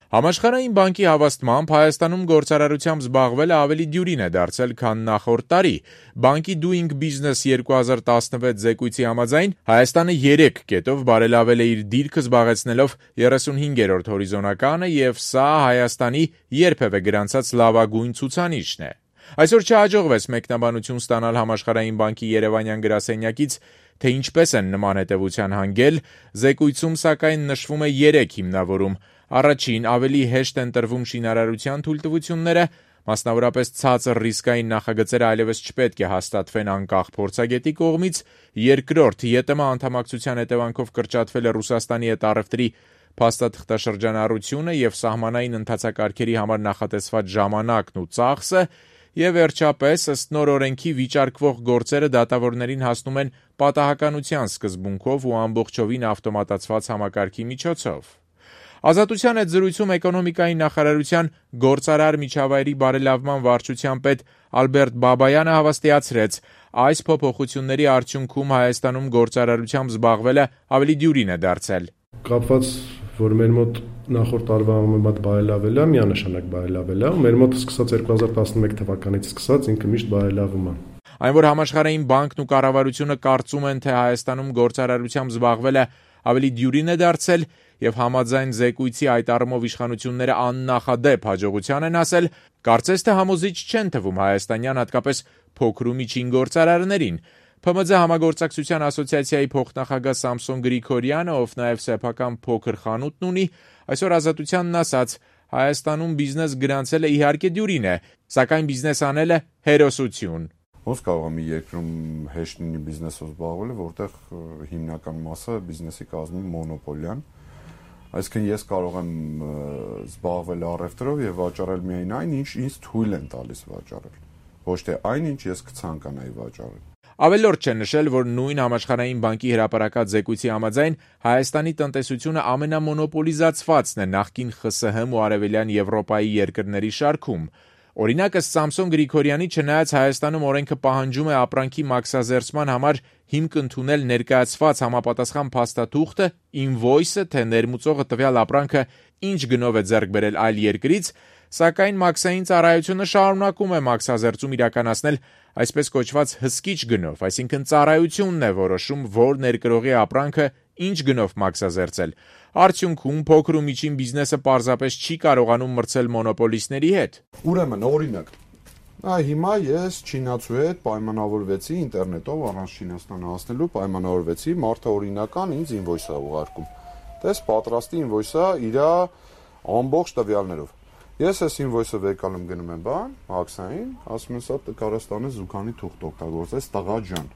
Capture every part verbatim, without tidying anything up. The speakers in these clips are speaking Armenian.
Համաշխարհային բանկի հավաստմամբ Հայաստանում գործարարությամբ զբաղվելը ավելի դյուրին է դարձել, քան նախորդ տարի։ Բանկի Doing Business երկու հազար տասնվեց զեկույցի համաձայն Հայաստանը երեք կետով բարելավել է իր դիրքը զբաղեցնելով երեսունհինգերորդ հորիզոնականը, եւ սա Հայաստանի երբևէ գրանցած լավագույն ցուցանիշն է։ Այսօր չհաջողվեց մեկնաբանություն ստանալ Համաշխարհային բանկի երևանյան գրասենյակից, թե ինչպես են նման հետևության հանգել, զեկույցում սակայն նշվում է երեք հիմնավորում։ Առաջին, ավելի հեշտ են տրվում շինարարության թույլտվությունները, մասնավորապես ցածր ռիսկային նախագծերը այլևս չպետք է հաստատվեն անկախ փորձագետի կողմից։ Երկրորդ, ԵՏՄ անդամակցության հետևանքով կրճատվել է Ռուսաստանի հետ առևտրի փաստաթղթաշրջանառությունը եւ սահմանային ընթացակարգերի համար նախատեսված ժամանակն ու ծախսը, եւ վերջապես, ըստ նոր օրենքի վիճարկվող գործերը դատավորներին հասնում են պատահականության սկզբունքով ու ամբողջովին ավտոմատացված համակարգի միջոցով։ Ազատության հետ զրույցում էկոնոմիկայի նախարարության գործարար միջավայրի բարելավման վարչության պետ Ալբերտ Բաբայանը հավաստիացրեց, այս փոփոխությունների արդյունքում Հայաստանում գործարարությամբ զբաղվելը ավելի դյուրին է դարձել։ Կապված, որ մեր մոտ նախորդ տարվա համեմատ բարելավել է, միանշանակ բարելավել է, ու մեր մոտ սկսած երկու հազար տասնմեկ թվականից սկսած ինքը միշտ բարելավում է։ Այն, որ Համաշխարհային բանկն ու կառավարությունը կարծում են, թե Հայաստանում գործարարությամբ զբաղվելը ավելի դյուրին է դարձել եւ համաձայն զեկույցի այդ առումով իշխանությունները աննախադեպ հաջողության են ասել, կարծես թե համոզիչ չեն թվում հայաստանյան, հատկապես փոքր ու միջին գործարարներին։ ՓՄՁ համագործակցության ասոցիացիայի փոխնախագահ Սամսոն Գրիգորյանը, ով նաև սեփական փոքր խանութն ունի, այսօր Ազատությանն ասաց. Հայաստանում բիզնես գրանցելը իհարկե դյուրին է, սակայն բիզնես անելը հերոսություն։ Ոնց կարող է մի երկրում հեշտ լինի բիզնեսով զբաղվելը, որտեղ հիմնական մասը բիզնեսի կազմում մոնոպոլիան։ Այսինքն ես կարող եմ զբաղվել առևտրով եւ վաճառել միայն այն, ինչ ինձ թույլ են տալիս վաճառել, ոչ թե այն, ինչ ես կցանկանայի վաճառել։ Ավելորդ չէ նշել, որ նույն Համաշխարհային բանկի հրապարակած զեկույցի համաձայն Հայաստանի տնտեսությունը ամենամոնոպոլիզացվածն է նախկին ԽՍՀՄ ու Արևելյան Եվրոպայի երկրների շարքում։ Օրինակ, ըստ Սամսոն Գրիգորյանի, չնայած Հայաստանում օրենքը պահանջում է ապրանքի մաքսազերծման համար հիմք ընդունել ներկայացված համապատասխան փաստաթուղթը, ինվոյսը, թե ներմուծողը տվյալ ապրանքը ինչ գնով է ձեռք բերել այլ երկրից, սակայն մաքսային ծառայությունը շարունակում է մաքսազերծում իրականացնել այսպես կոչված հսկիչ գնով, այսինքն ծառայությունն է որոշում, որ ներկրողի ապրանքը ինչ գնով մաքսազերծել։ Արդյունքում փոքր ու միջին բիզնեսը պարզապես չի կարողանում մրցել մոնոպոլիստների հետ։ Ուրեմն, օրինակ, այ հիմա ես չինացու հետ պայմանավորվեցի ինտերնետով առանց Չինաստան հասնելու պայմանավորվեցի, մարդը օրինական ինձ ինվոյս է ուղարկում։ Տես պատրաստի ինվոյսը իր ամբողջ տվյալներով։ Ես այս ինվոյսը վեկալում գնում եմ բան, հաքսային, ասում եմ սա կարաստանը զուգանի թուղթ օգտագործես տղա ջան։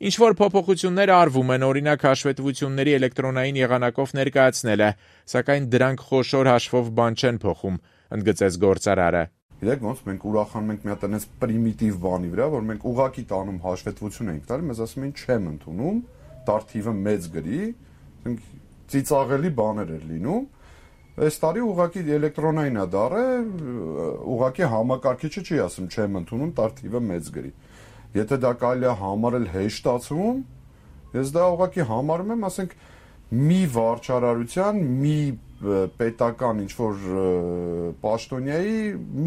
Ինչ որ փոփոխություններ արվում են, օրինակ հաշվետվությունների էլեկտրոնային եղանակով ներկայացնելը, սակայն դրանք խոշոր հաշվով բան չեն փոխում, ընդգծեց գործարարը։ Գիտեք ոնց մենք ուրախանում ենք մի հատ այնպես պրիմիտիվ բանի վրա, որ մենք ուղակի տանում հաշվետվություն ենք տալի, մեզ ասում են չեմ ընդունում, տարթիվը մեծ գրի, ասենք ծիծաղելի բաներ էր լինում։ Այս տարի ուղակի էլեկտրոնային է դառը, ուղակի համակարգիչը չի ասում չեմ ընդունում, տարթիվը մեծ գրի։ Եթե դա կարելի է համարել հեշտացում, ես դա ուղղակի համարում եմ, ասենք, մի վարչարարության, մի պետական ինչ-որ պաշտոնյայի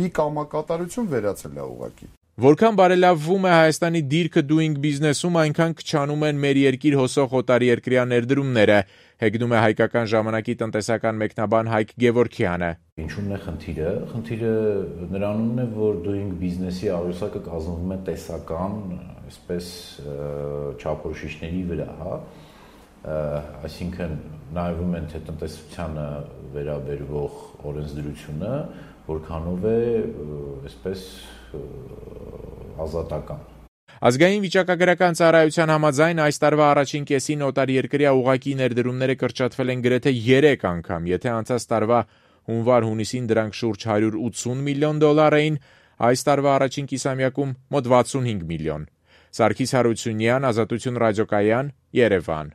մի կամակատարություն վերացել է ուղղակի։ Որքան բարելավվում է Հայաստանի դիրքը Doing Business-ում, այնքան քչանում են մեր երկիր հոսող օտարերկրյա ներդրումները, հեգնում է Հայկական ժամանակի տնտեսական մեկնաբան Հայկ Գևորգյանը։ Ինչու՞մն է խնդիրը։ Խնդիրը նրանումն է, որ Doing Business-ի աղյուսակը կազմվում է տեսական, այսպես չափորոշիչների վրա, հա։ Այսինքն նայվում են թե տնտեսությանը վերաբերվող օրենսդրությունը որքանով է, այսպես ազատական։ Ազգային վիճակագրական ծառայության համաձայն այս տարվա առաջին կեսին օտարերկրյա ուղղակի ներդրումները կրճատվել են գրեթե երեք անգամ, եթե անցած տարվա հունվար-հունիսին դրանք շուրջ հարյուր ութսուն միլիոն դոլար էին, այս տարվա առաջին կիսամյակում մոտ վաթսունհինգ միլիոն։ Սարգիս Հարությունյան, Ազատություն ռադիոկայան, Երևան։